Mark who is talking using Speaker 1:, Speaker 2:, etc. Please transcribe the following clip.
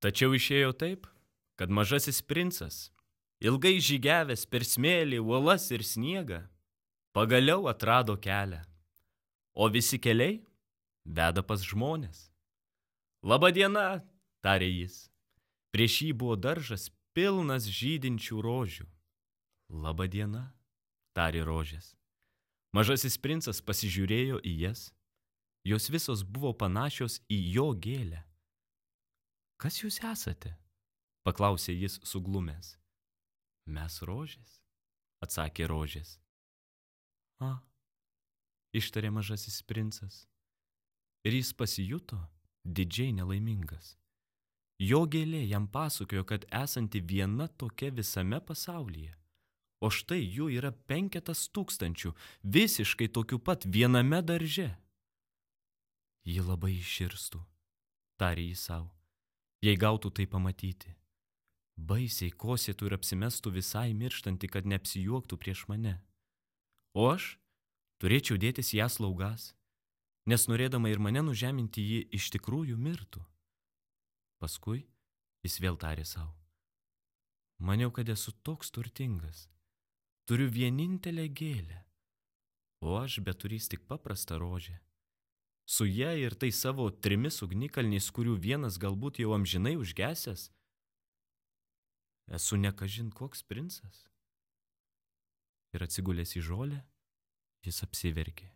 Speaker 1: Tačiau išėjo taip, kad mažasis princas, ilgai žygiavęs per smėlį, uolas ir sniegą, pagaliau atrado kelią, o visi keliai veda pas žmones. Labą dieną, tarė jis. Prieš jį buvo daržas pilnas žydinčių rožių. Labą dieną, tarė rožės. Mažasis princas pasižiūrėjo į jas. Jos visos buvo panašios į jo gėlę. Kas jūs esate? Paklausė jis suglumęs. Mes rožės, atsakė rožės. Ištarė mažasis princas. Ir jis pasijuto didžiai nelaimingas. Jo gėlė jam pasakojo, kad esanti viena tokia visame pasaulyje. O štai jų yra 5,000, visiškai tokių pat viename darže. Ji labai iširstų, tarė jis savo, jei gautų tai pamatyti. Baisiai kosėtų ir apsimestų visai mirštanti, kad neapsijuoktų prieš mane. O aš turėčiau dėtis ją slaugas, nes norėdama ir mane nužeminti ji iš tikrųjų mirtų. Paskui jis vėl tarė savo. Maniau, kad esu toks turtingas. Turiu vienintelę gėlę, o aš beturys tik paprastą rožę. Su ja ir tai savo 3 ugnikalniais, kurių vienas galbūt jau amžinai užgesęs, esu nekažin koks princas. Ir atsigulęs į žolę, jis apsiverkė.